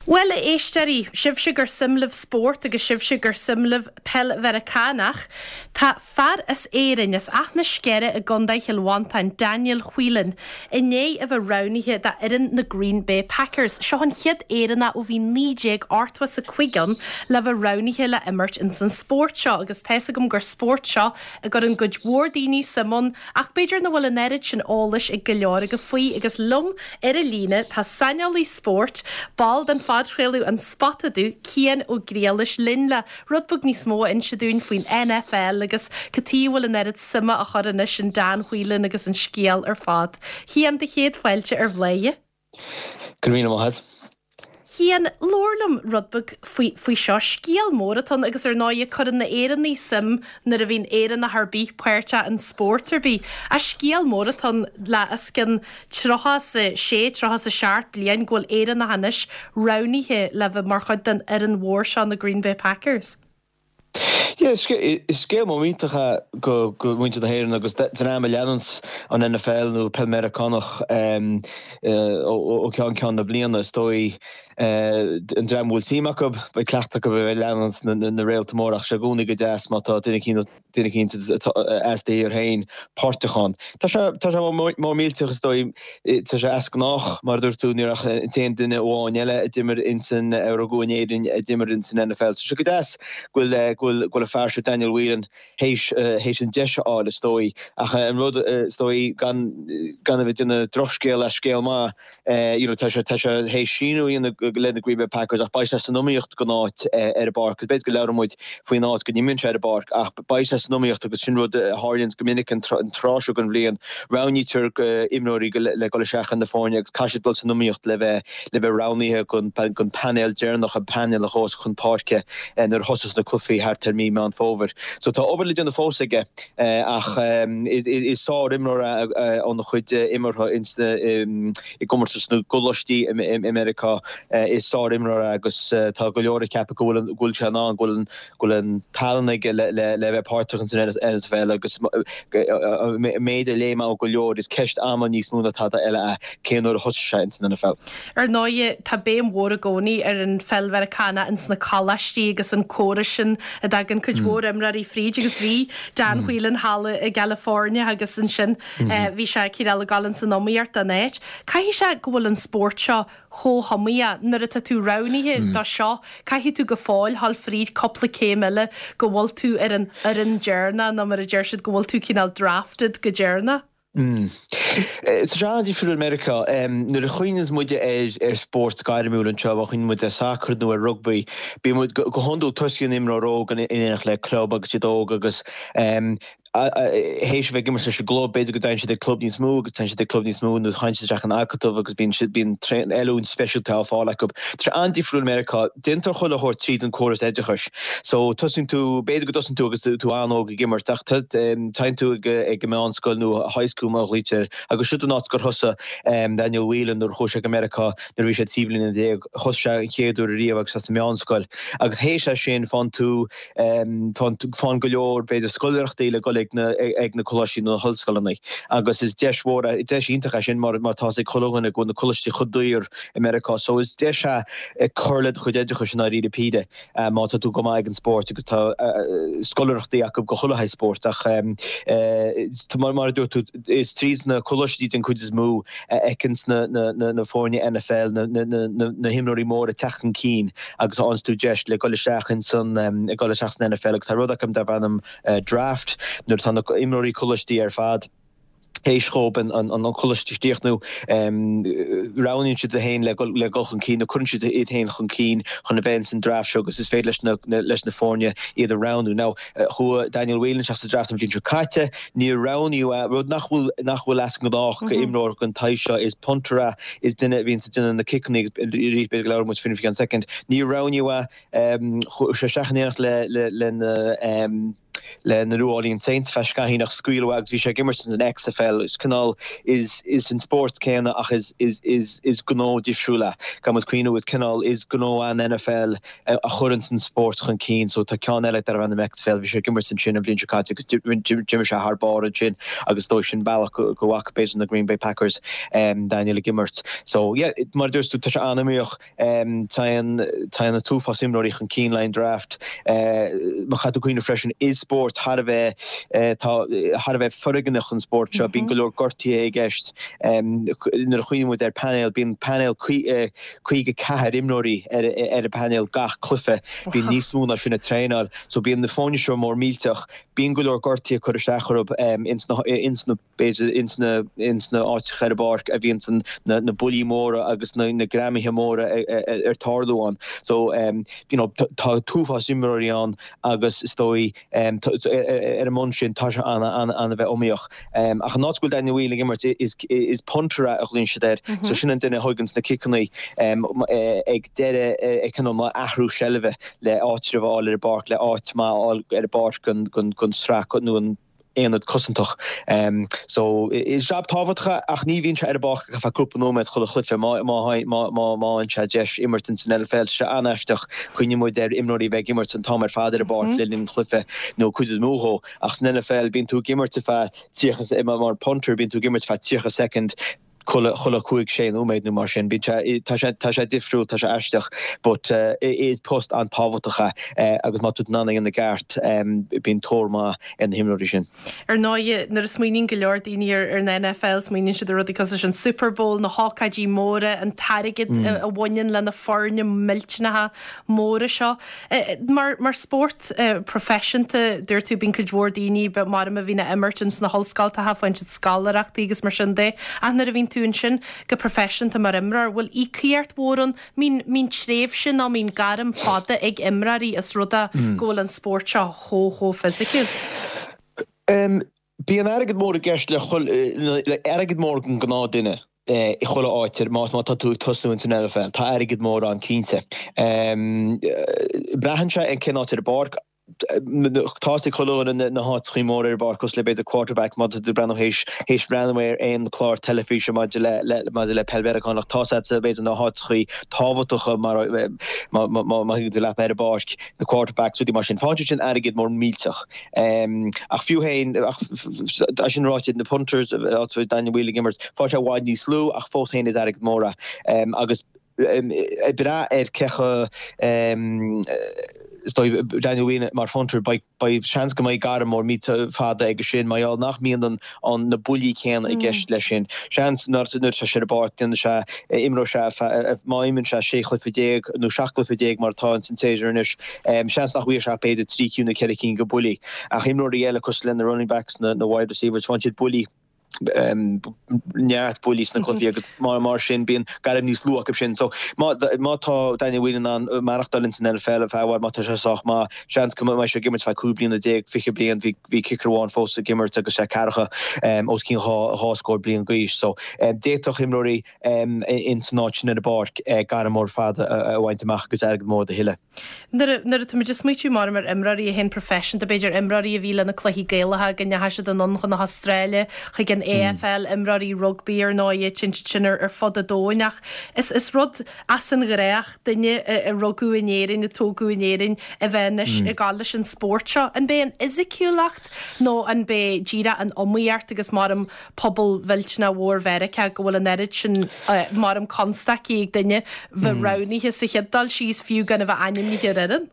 Bhuel, a éisteoirí, sibhse gur suim libh spórt agus sibhse gur suim libh peil Mheiriceánach, tá fear as Éirinn, as Áth na Sceire i gContae Chill Mhantáin, Daniel Whelan, i ndiaidh a bheith roghnaithe d'fhoireann na Green Bay Packers. Seo an chéad Éireannach ó bhí 1985 ann le bheith roghnaithe le imirt ins an spórt seo agus tá's agam gur spórt seo a gcuireann cuid mhór daoine suim ann ach b'fhéidir nach bhfuil an oiread sin eolais ag go leor agaibh faoi agus liom Ar an líne tá saineolaí spóirt, ball den phodchraoladh An Spota Dubh, Cian Ó Griallais linn le rud beag níos mó a inse dúinn faoin NFL agus cad tuige a bhfuil an oiread suime á chur anois in Dan Whelan agus an scéal ar fad. Cian, do chéad fáilte ar Bhladhaire. Go raibh míle maith agat. Cian, labhair liom rud beag faoi, faoi seo. Scéal mór atá ann agus ar ndóighe cuireann na Éireannaigh suim nuair a bhíonn Éireannach ar bith páirteach in spórt ar bith. Ach scéal mór atá ann le os cionn 36, 37 bliain go bhfuil Éireannach anois roghnaithe le bheith mar chuid den fhoireann mhór seo, na Green Bay Packers. Yeah, is scéal mór iontach é go muintir na hÉireann agus dream a leananns an NFL nó peil Meiriceánach ó cheann ceann na bliana. Is dóigh an dream a bhfuil suim acu, beidh cleachtadh acu a bheith ag leanúint na réalta móra ach sé i gcónaí go deas má tá duine duine eicínt as do thír féin páirteach ann. Tá sé tá sé mór millteach is dóigh, tá sé as gnách mar a dúirt tú, ní raibh ach an t-aon duine amháin eile a d'imir ins an, a rugadh in Éirinn a d'imir ins an NFL. So sé go deas go bhfuil go bhfuil go bhfuil an fear seo Daniel Whelan théis théis an deis a fháil is dóigh. Ach an rud is dóigh gan gan a bheith ag déanamh drochscéal as scéal maith, You know, tá sé, tá sé théis síniú a dhéanamh le na Green Bay Packers ach beidh sé san iomaíocht don áit ar an bpáirc agus b'fhéidir go labhróidh muid faoin áit go n-imríonn sé ar an bpáirc ach beidh sé san iomaíocht agus sin rud a tharlaíonns go minic an tráth seo den bhliain. Roghnaítear imreoirí le dul isteach ar na foirne agus caithfidh siad dul san iomaíocht le bheith le bheith roghnaithe don don painéal deireanach, an painéal a ghabhfas chun páirce nuair a thosós na cluichí thart ar mí Meán Fómhair. So tá obair le déanamh fós aige. Ach is sár-imreoir é óna chuid imeartha i gcomórtas na gcoláistí i Meiriceá. Is sár-imreoir é agus tá go leor ag ceapadh go bhfuil sé in ann, go bhfuil an tallann aige le bheith páirteach ins an NFL agus an méid a léigh mé ó go leor, is ceist ama níos mó ná tada eile é cén uair a thosóidh sé ins an NFL. Ar ndóighe, tá béim mhór i gcónaí ar an pheil Mheiriceánach ins na coláistí agus an córas sin a dtagann cuid mhór imreoirí fríd agus bhí Dan Whelan thall i gCalifornia agus ansin bhí sé cineál ag dul ins an iomaíocht don áit. Caithfidh sé go bhfuil an spórt seo chomh hiomaíoch, nuair atá tú roghnaithe do seo, caithfidh tú go fóill dhul fríd cúpla céim eile go bhfuil tú ar an fhoireann deireanach nó mar a deir siad go bhfuil tú cineál drafted go deireanach. Tá sé an-difriúil i Meiriceá. Nuair a chuimhníonns muide ar spórt gairmiúil anseo, má chuimhníonn muid ar sacar nó ar rugbaí, bíonn muid, go hiondúil tosaíonn imreoir óg in éineacht le club agus iad óg agus théis a bheith ag imirt leis an gclub, b'fhéidir go dtéann siad ag club níos mó agus téann siad ag club níos mó nó téann siad isteach in acadamh agus bíonn siad, bíonn oiliúint speisialta á fáil acu. Tá sé an-difriúil i Meiriceá. Déantar chuile shórt tríd an córas oideachais. So tosaíonn tú, b'fhéidir go dtosaíonn tú agus tú an-óg ag imirt ach téann tú ag an meánscoil nó high school mar a ghlaoitear air agus siod an áit gur thosaigh Daniel Whelan nuair a chuaigh sé go Meiriceá nuair a bhí sé 13 bliana. Thosaigh sé an chéad uair ariamh agus é sa meánscoil agus théis é sin faigheann tú, faigheann go leor b'fhéidir scoláireachtaí le dul ag na ag na coláistí nó na hollscoileanna agus is deis mhór é, deis iontach é sin mar mar tá's ag chuile dhuine go bhfuil na coláistí chomh daor i Meiriceá so is deis é cur le do chuid oideachais i ndáiríre píre. má tá tú go maith ag an spórt agus tá scoláireachtaí acu go chuile shaghas spóirt ach mar a dúirt tú is tríd na coláistí den chuid is mó a fheiceanns na foirne NFL na himreoirí móra ag teacht chun cinn agus faigheanns tú deis le dul isteach ins an dul isteach san NFL agus tá rud acu darb ainm draft nuair atá na imreoirí coláistí ar fad théis dhóibh an coláiste a chríochnú, roghnaíonn siad iad féin le dul chun cinn nó cuireann siad iad féin chun cinn chun a bheith ins an draft seo agus is féidir leis na leis na foirne iad a roghnú. Now, chuaigh Daniel Whelan isteach sa draft an bhliain seo caite, níor roghnaíodh é, rud nach bhfuil nach bhfuil as an ngnách go imreoir den tsaghas seo, is punter é, is duine a bhíonns ag déanamh na ciceanna agus arís b'fhéidir go labhróidh muid faoina faoi cheann soicind. Níor roghnaíodh é, chuaigh sé isteach in éineacht le le lena. Le na New Orleans Saints feadh scaithín ach scaoileadh é agus bhí sé ag imirt ins an XFL. Is cineál, is is an spórt céanna ach is is is is gnó difriúil é. Caithfidh muid cuimhniú is cineál, is gnó an NFL a chuireanns an spórt chun cinn so tá ceann eile darbh ainm XFL, bhí sé ag imirt ansin an bhliain seo caite agus d'imir sé thar barr ansin agus is dóigh sin bealach go go bhfaca b'fhéidir na Green Bay Packers Daniel ag imirt. So yeah, mar a dúirt tú tá sé an-iomaíoch. Téann an t-uafás imreoirí chun cinn le an draft. Má chaithfidh tú cuimhneamh freisin, is spórt thar a bheith, tá, thar a bheith foirgneach an spórt seo. Bíonn go leor gortuithe i gceist. Nuair a chuimhníonn muid ar painéal, bíonn painéal 54 imreoirí ar an bpainéal gach cluiche. Bíonn níos mó ná sin ag traenáil. So bíonn na foirne seo mór millteach. Bíonn go leor gortuithe ag cur isteach orthu ins na. b'fhéidir, ins na, ins na áiteacha ar an bpáirc a bhíonns an, na, na buillí móra agus na, na greamaithe móra ar tarlú ann. So, you know, tá t-uafás imreoirí ann agus is dóigh, ar an mbonn sin, tá sé an, an, an a bheith iomaíoch. Ach an áit go bhfuil Daniel Whelan ag imirt, is, is punter é a ghlaonn siad air. So sin an duine a thóganns na ciceanna ag deireadh, ag cineál mar athrú seilbhe le áitreabh a fháil ar an bpáirc, le áit maith a fháil ar an bpáirc don, don, don sraith nó an, aonad cosantach. So, is jab tábhachtach é ach ní bhíonn sé ar an bpáirc ach ar feadh cúpla nóiméad chuile chluiche. Má fhaigheann sé deis imirt ins an NFL, tá sé an-aisteach. Cuimhníonn muid ar imreoirí a bheith ag imirt an t-am ar fad ar an bpáirc le linn an chluiche nó cuid is mó dhó. Ach san NFL bíonn tú ag imirt ar feadh 30, mar punter, bíonn tú ag imirt ar feadh 30 soicind. chuile, chuile chúig, sé nóiméad nó mar sin. Bíonn sé, tá sé, tá sé difriúil, tá sé aisteach but is post an-tábhachtach é agus má tá tú in ann é a dhéanamh i gceart bíonn tóir maith ar na himreoirí sin. Ar ndóigh, nuair a smaoiníonn go leor daoine ar an NFL, smaoiníonn siad ar rudaí cosúil leis an Super Bowl, na hócáidí móra, an t-airgead a bhaineann le na foirne millteanacha móra seo. Mar mar spórt proifisiúnta, dúirt tú, bíonn cuid mhór daoine, mar a bhíonn á imirt ins na hollscoltacha, faigheann siad scoláireachtaí agus mar sin de. Ach nuair a bhíonn tú ansin go proifisiúnta mar imreoir, bhfuil íocaíocht mhór ann? Mbíonn, mbíonn tréimhse nó mbíonn gairm fada ag imreoirí os rud é go bhfuil an spórt seo chomh, chomh fisiciúil? Bíonn airgead mór i gceist le chuile, airgead mór don gnáth duine i chuile áit, má tá tú ag tosnú ins an NFL. Tá airgead mór ann cinnte. Braitheann sé ar cén áit ar an bpáirc. Tá's ag chuile dhuine na háiteachaí móra ar an bpáirc cosúil le b'fhéidir quarterback má tá tú ag breathnú théis théis breathnú ar aon chlár teilifíse maidir le le maidir le peil Mheiriceánach. Tá's agat b'fhéidir na háiteachaí tábhachtacha mar má má thuigeann tú leat ar an bpáirc, na quarterbacks rudaí mar sin. Faigheann siad sin airgead mór millteach. Ach fiú féin, ach é sin ráite, na punters, áit a bhfuil Daniel Whelan ag imirt, faigheann sé i bhfad níos lú ach fós féin is airgead mór é. Agus ag brath ar cé chomh, is dóigh, Daniel Whelan mar phunter, beidh, beidh seans go mbeidh gairm mór millteach fada aige sin mar gheall nach mbíonn an, an, na buillí céanna i gceist leis sin. Seans nuair atá sé ar an bpáirc, déanfaidh sé, imreoidh sé, má imríonn sé 16 chluiche nó 17 cluiche mar atá ins an tséasúr anois, Seans nach bhfaighidh sé ach b'fhéidir 3 cinn nó 4 cinn de bhuillí. Ach imreoirí eile cosúil le na running backs, na wide receivers, faigheann siad buillí, neart buillí sna cluichí agus mar sin bíonn gairm níos lú acu sin. So má tá Daniel Whelan in ann maireachtáil ins an NFL ar feadh i bhfad, má tá sé sách maith, seans go mbeidh sé ag imirt feadh 15 bliana, 20 bliain, bhí kicker amháin fós ag imirt agus sé ceathracha os cionn dhá scór bliain d'aois. So d'fhéadfadh imreoirí ins an áit sin ar an bpáirc gairm mór fada a bhaint amach agus airgead mór do thuilleadh. Nuair a táimid ag smaoitiú mar ar imreoirí a théann proifisiúnta, b'fhéidir imreoirí a bhí le na cluichí Gaelacha go ndeachaigh siad anonn chun na hAstráile, chuig an AFL, imreoirí rugbaí ar ndóigh, téann siad sin ar fud an domhain ach is is rud as an ghnách duine a rugadh in Éirinn, a tógadh in Éirinn a bheith anois ag gabháil leis an spórt seo. An b'é an fhisiciúlacht nó an b'é díreach an iomaíocht agus mar pobal mhillteanach mhór Mheiriceá go bhfuil an oiread sin mar constaicí ag duine bheith roghnaithe sa chéad dul síos fiú gan a bheith ainmnithe ar fhoireann.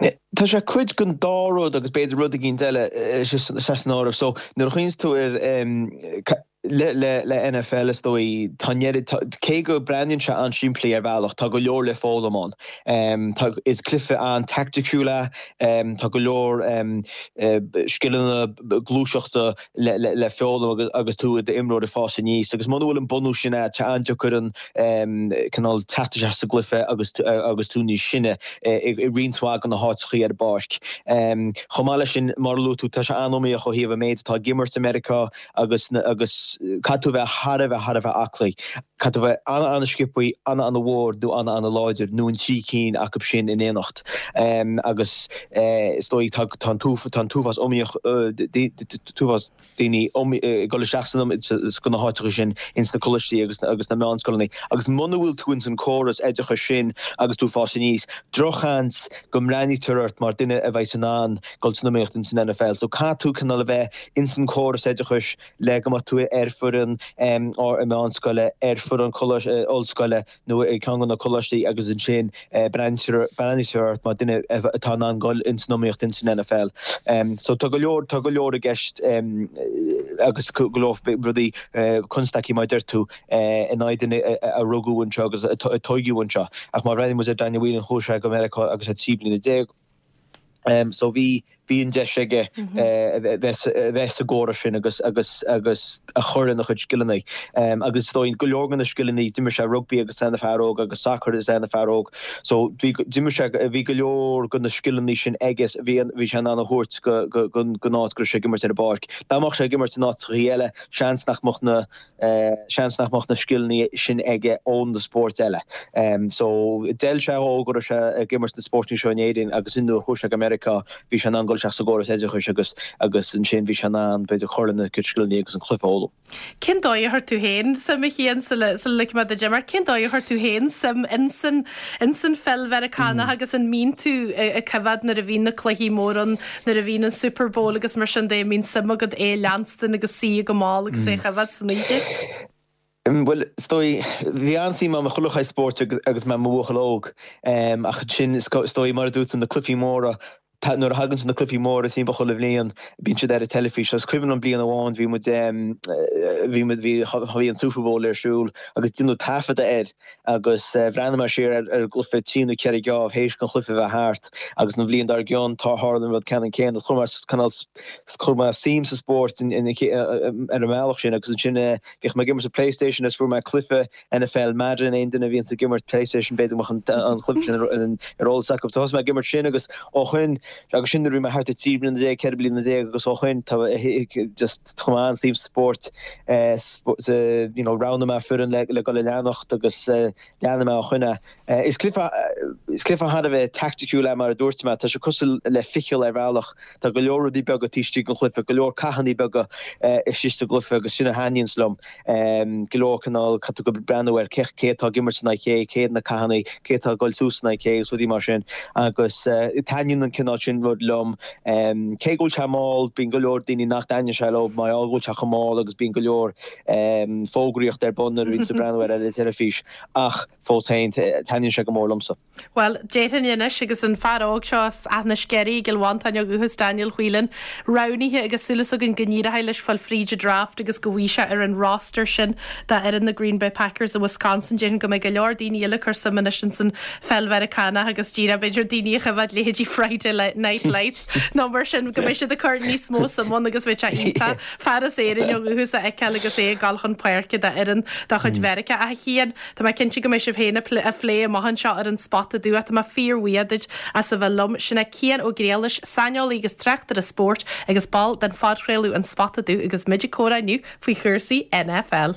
Tá sé cuid den dá rud agus b'fhéidir rud eicínt eile san áireamh. So nuair a chuimhníonns tú ar le le le NFL is dóigh tá an oiread cé go breathnaíonn sé an-simplí ar bhealach tá go leor le foghlaim ann. Tá is cluiche an-taicticiúil é, tá go leor scileanna gluaiseachta le foghlaim agus tú i d'imreoir ag fás aníos agus muna bhfuil an bunús sin agat, tá sé an-deacair an cineál teacht isteach sa gcluiche agus agus tú níos sine i roinnt mhaith de na háiteachaí ar an bpáirc. Chomh maith leis sin, mar a luaigh tú, tá sé an-iomaíoch ó thaobh an méid atá ag imirt i Meiriceá agus agus. agus caithfidh tú a bheith thar a bheith thar a bheith aclaí. Caithfidh tú a bheith ana-ana-sciobthaí, ana-ana-mhór nó ana-ana-láidir nó an trí cinn acu sin in éineacht. Agus is dóigh tá an t-uafás iomaíoch, t-uafás daoine ag dul isteach sna na háiteacha sin, ins na coláistí agus agus na meánscoileanna. Agus muna bhfuil tú ins an córas oideachais sin agus tú ag fás aníos, drochsheans go mbreathnaítear ort mar duine a bheas in ann dul san iomaíocht ins an NFL. So caithfidh tú cineál a bheith ins an córas oideachais le go mbeadh tú ar foireann meánscoile, ar foireann ollscoile nó ag ceann de na coláistí agus ansin breathnaítear ort mar duine atá in ann dul ins an iomaíocht ins an NFL. So tá go leor, tá go leor i gceist agus go leor rudaí, constaicí mar a deir tú, in aghaidh duine a rugadh anseo agus a tóigeadh anseo. Ach má bhreathnaíonn muid ar Daniel Whelan chuaigh sé go Meiriceá agus é 13 bliana. So bhí, bhí an deis aige a bheith, a bheith sa gcóras sin agus, agus, agus a chur lena chuid scileanna. Agus is dóigh go leor de na scileanna, d'imir sé rugbaí agus é ina fear óg agus sacar agus é ina fear óg. So bhí, d'imir sé, bhí go leor de na scileanna sin aige, bhí, bhí sé in ann a thabhairt go, go, go, gon áit go raibh sé ag imirt ar an bpáirc. Dá mbeadh sé ag imirt in áiteachaí eile, seans nach mbeadh na, Seans nach mbeadh na scileanna sin aige ó na spóirt eile. So, d'fheil sé dhó go raibh sé ag imirt na spóirteanna seo in Éirinn agus nuair a chuaigh sé go Meiriceá bhí sé in ann dul isteach sa gcóras oideachais agus agus ansin bhí sé in ann b'fhéidir cur lena chuid scileanna agus an cluiche a fhoghlaim. Cén dóigh a chuir tú féin suim, a Chian, sula sula ligfidh mé duit imeacht, cén dóigh a chuir tú féin suim insan insan pheil Mheiriceánach agus an mbíonn tú ag coimhéad nuair a bhíonn na cluichí móra ann, nuair a bhíonn an Super Bowl agus mar sin de, an mbíonn suim agat é a leanstan agus suí go mall agus é a choimhéad san oíche? Bhuel, is dóigh, bhí an-suim agam i chuile shaghas spóirt agus mé i mo bhuachaill óg. Ach ansin, is dóigh, mar a dúirt tú, na cluichí móra, nuair a thagann na cluichí móra timpeall chuile bhliain, bíonn siad ar an teilifís. Is cuimhin liom bliain amháin, bhí muid, bhí muid, bhí, bhí an Super Bowl ar siúl agus déanadh taifeadadh air. Agus bhreathnaigh mé siar ar an gcluiche trí nó ceithre geábh théis don chluiche a bheith thart agus an bhliain dár gcionn tá tharla an rud ceannann céanna. Chuir mé cineál chuir mé suim sa spórt ar an mbealach sin agus ansin bhíodh mé ag imirt an PlayStation agus fuair mé cluiche NFL Madden aon duine a bhíonns ag imirt PlayStation b'fhéidir go mbeadh an cluiche sin ar eolas acu. So thosaigh mé ag imirt sin agus ó shin agus sin nuair a bhí mé thart ar 13 bliana, 14 bliana agus ó shin tá just chuir mé an-suim sa spórt you know roghnaigh mé foireann le le dul a leanacht agus leanfaidh mé ó shin é. Is cluiche is cluiche thar a bheith taicticiúil é mar a dúirt mé, tá sé cosúil le ficheall ar bhealach. Tá go leor rudaí beaga taobh istigh den chluiche, go leor cathanna beaga istigh sa gcluiche agus sin a thaitníonns liom. Go leor cineál caithfidh tú breathnú ar cé cé atá ag imirt in aghaidh cé, cé na cathanna, cé atá ag dul suas in aghaidh cé agus rudaí mar sin agus taitníonn an cineál sin rud liom. Cé go bhfuil sé mall, bíonn go leor daoine nach dtaitníonn sé leo mar gheall go bhfuil sé chomh mall agus bíonn go leor fógraíocht ar bun nuair a bhíonn tú ag breathnú air ar an teilifís ach fós féin taitníonn sé go mór liomsa. Bhuel, déarfainn anois, agus an fear óg seo as Áth na Sceirí i gCill Mhantáin ó dhúchas, Daniel Whelan, roghnaithe agus súil againn go n-éireoidh leis fáil fríd an draft agus go bhfaighidh sé ar an roster sin d'fhoireann na Green Bay Packers i Wisconsin. Déarfainn go mbeidh go leor daoine eile ag cur suim anois ins an pheil Mheiriceánach agus díreach b'fhéidir daoine a choimhéad leithéidí Friday Night Lights nó mar sin go mbeidh siad ag cur níos mó suim ann agus bheadh sé iontach fear as Éirinn ó dhúchas a fheiceáil agus é ag dul chun páirce d'fhoireann de chuid Mheiriceá. Ach a Chian, Tá mé cinnte go mbeidh sibh féin á phlé amach anseo ar an Spota Dubh ach tá mé fíorbhuíoch duit as a bheith liom. Sin é Cian Ó Griallais, saineolaí agus tráchtaire spóirt agus ball den phodchraoladh An Spota Dubh agus muid ag comhrá inniu faoi chúrsaí NFL.